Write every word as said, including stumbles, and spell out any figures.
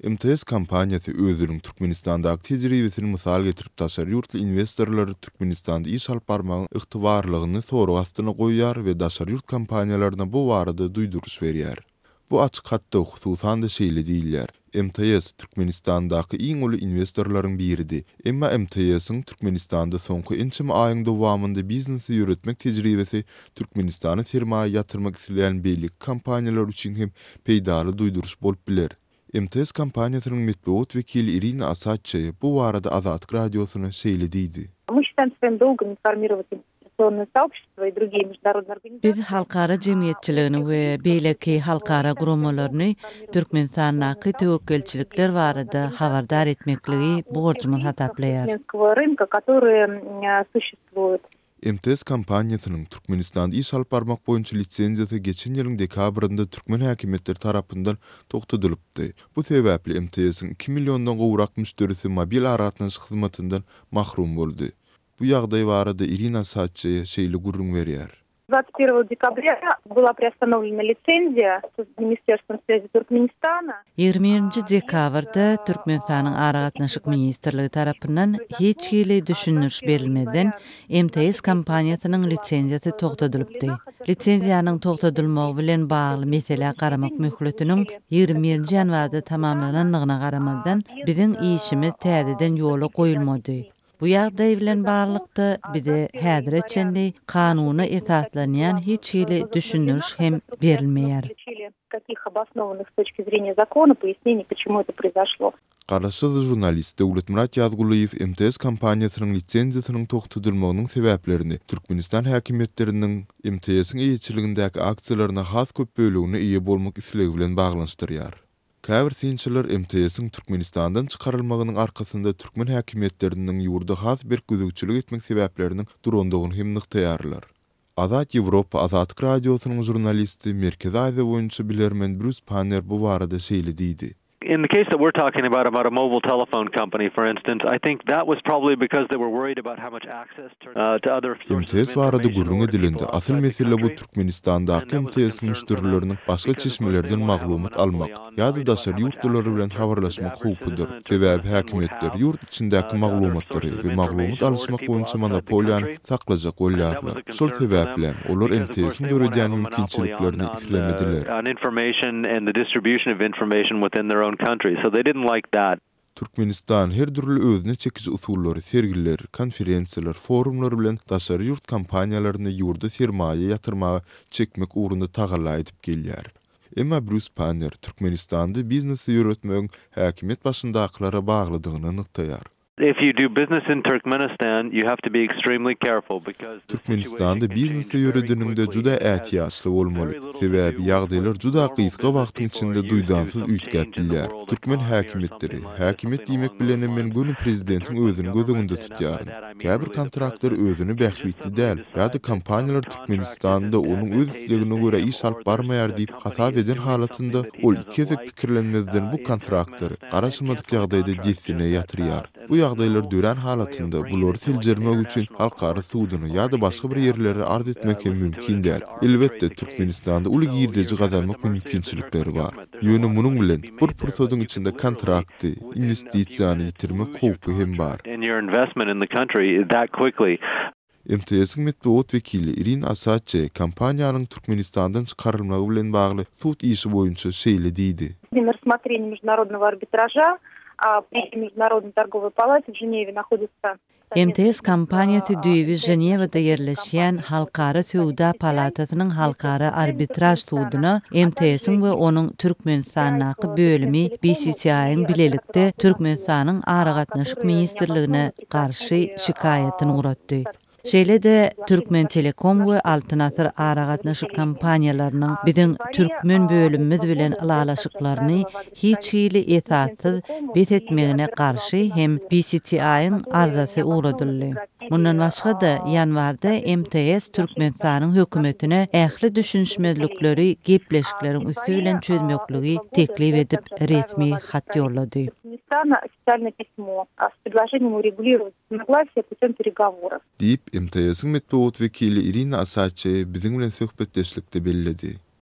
M T S kompaniýasy özüniň Türkmenistandaky tejribesini mysal getirip, daşary ýurtly inwestorlary Türkmenistanda iş alyp barmagyň ygtybarlygyny sorag astyna goýýar we daşary ýurt kompaniýalaryna bu barada duýduryş berýär. Bu açyk hatda hususan-da şeýle diýilýär: M T S Türkmenistandaky iň uly inwestorlaryň biridi. Emma M T S-iň Türkmenistanda soňky ençeme aýyň dowamynda biznesi ýöretmek tejribesi Türkmenistana sermaýa ýatyrmak isleýän beýleki kompaniýalar üçin hem peýdaly duýduryş bolup biler. M T S kompaniýasynyň metbugat wekili Irina Asadçaýa bu barada Azatlyk Radiosyna şeýle diýdi. Мы считаем своим долгом информировать инвестиционное сообщество и другие международные организации. Biz halkara jemgyýetçiligini we beýleki halkara guramalaryny Türkmenistandaky töwekgelçilikler barada habardar etmekligi borjumyz hasaplaýarys. Туркменского рынка, которые м, существуют. M T S kompaniýasynyň Türkmenistanda iş alyp barmak boýunça lisenziýasy geçen ýylyň dekabrynda türkmen häkimiýetleri tarapyndan togtadylypdy. Bu sebäpli M T S-iň iki milliondan gowrak müşderisi mobil aragatnaşyk hyzmatyndan mahrum boldy. Bu ýagdaý barada Irina Asadçaýa şeýle gürrüň berýär. двадцать первого декабря была приостановлена лицензия с Министерством связи Туркменистана. ýigrimi birinji dekabrda Türkmenistanyň Aragatnaşyk ministrligi tarapyndan hiç hili düşündiriş berilmezden M T S kompaniýasynyň lisenziýasy togtadylypdy. Lisenziýanyň togtadylmagy bilen bagly meselä garamak möhletiniň ýigrimi birinji ýanwarda tamamlanandygyna garamazdan, biziň işimiz täzeden ýola goýulmady. Bu ýagdaý bilen baglylykda bize häzire çenli kanuna esaslanýan hiç hili düşündiriş hem berilmeýär. Каких обоснованных с точки зрения закона пояснений, почему это произошло. Garaşsyz žurnalist Döwletmyrat Ýazgulyýew M T S kompaniýasynyň lisenziýasynyň togtadylmagynyň sebäplerini Türkmenistan häkimiýetleriniň M T S-iň eýeçiligindäki aksiýalaryna has köp bölegine eýe bolmak islegi bilen baglanyşdyrýar. Käbir synçylar M T S-iň Türkmenistandan çykarylmagynyň arkasynda türkmen häkimiýetleriniň ýurda has berk gözegçilik etmek sebäpleriniň durandygyny hem nygtaýarlar. Azat Ýewropa Azatlyk Radiosynyň žurnalisti, Merkezi Aziýa boýunça bilermen Brus Panner bu barada şeýle diýdi. In the case that we're talking about, about a mobile telephone company, for instance, I think that was probably because they were worried about how much access uh, to other sources of M T S barada information gürrüň or to edilende people asyl outside the mesele bu country. Türkmenistandaky And that was a M T S concern for them müşderileriniň başga because, of course, they çeşmelerden want to have a maglumat monopoly almak on ýa-da knowledge about daşary how much ýurtlular access bilen the habarlaşmak average citizen howpudyr. in Sebäbi Turkmenistan would häkimiýetler have ýurt içindäki uh, to other maglumatlary sources of we maglumat information or to alyşmak people boýunça outside the monopoliýany country. saklajak And that was bolýarlar. a Şol concern for them sebäpli olar because, of course, M T S-iň they want to döredýän have a monopoly on, mümkinçiliklerini on, islemediler. uh, on information and the distribution of information within their own country. So they didn't like that. Türkmenistan her dürli özüne çekiji usullary, sergiler, konferensiýalar, forumlar bilen daşary ýurt kompaniýalaryny ýurda sermaýa ýatyrmaga çekmek ugrunda tagalla edip gelýär. Emma Brus Panner Türkmenistanda biznesi ýöretmegiň häkimiýet başyndakylara baglydygyny nygtaýar. If you do business in Turkmenistan, you have to be extremely careful because the situation Türkmenistanda can biznesi change very ýöredeniňde quickly. juda It has ätiýaçly bolmaly. very little to Sebäbi do with ýagdaýlar what juda normal gysga business wagtyň people içinde are used to, duýdansyz some üýtgäp change in the bilýär. world Türkmen economy or häkimiýetleri, something like häkimiýet something diýmek along bilen those men lines. göni The prezidentiň Turkmen özüni göz government, öňünde and by tutýaryn. that I mean Käbir really the kontraktlar president, özüne can just bähbitli suddenly däl decide ýa-da that some kompaniýalar contract Türkmenistanda isn't onuň öz advantageous islegine to görä him iş alyp or barmaýar the diýip company hasap is eden doing something halatynda that he ol doesn't iki gezek like pikirlenmezden uh, bu in kontraktlary Turkmenistan and garaşylmadyk cancel the ýagdaýda contract dessine just that ýatyrýar. fast. And Bu there's ýagdaýlar no dörän way of halatynda bringing bulary it to like an seljermek üçin international halkara court suduna or ýa-da anything başga to bir have ýerlere them arz uh, etmek hem listen to it mümkin and try däl. to arbitrate Elbetde the case. Türkmenistanda uly So you're girdeji kind of at gazanmak the mercy of the Turkmen mümkinçilikleri bar. government. There's a Ýöne lot of munuň money to bilen be bir made there, but pursadyň you could içinde literally kontrakty, within a few inwestisiýany minutes ýitirmek lose your howpy hem bar. contract and your investment in the country that quickly. M T S-iň metbugat wekili Irina Asadçaýa kompaniýanyň Türkmenistandan çykarylmagy bilen bagly sud işi boýunça şeýle diýdi. На рассмотрении международного арбитража а, при Международной торговой палате в Женеве находится M T S kompaniýasy düýbi Ženewada ýerleşýän Halkara Söwda Palatasynyň Halkara Arbitraž suduna M T S-iň we onuň Türkmenistandaky bölümi B C T I-iň bilelikde Türkmenistanyň Aragatnaşyk ministrligine garşy şikaýatyny ugratdy. Şeýle-de Türkmen Telekom we Altyn Asyr aragatnaşyk kompaniýalarynyň biziň türkmen bölümimiz bilen ylalaşyklaryny hiç hili esassyz bes etmegine garşy hem B C T I-iň arzasy ugradyldy. Mundan başga-da ýanwarda M T S Türkmenistanyň hökümetine ähli düşünişmezlikleri gepleşikleriň üsti bilen çözmekligi teklip edip resmi hat ýollady. Туркменистана официальное письмо а, с предложением урегулировать разногласия путем переговоров. Diýip M T S-iň metbugat wekili Irina Asadçaýa biziň bilen söhbetdeşlikde belledi.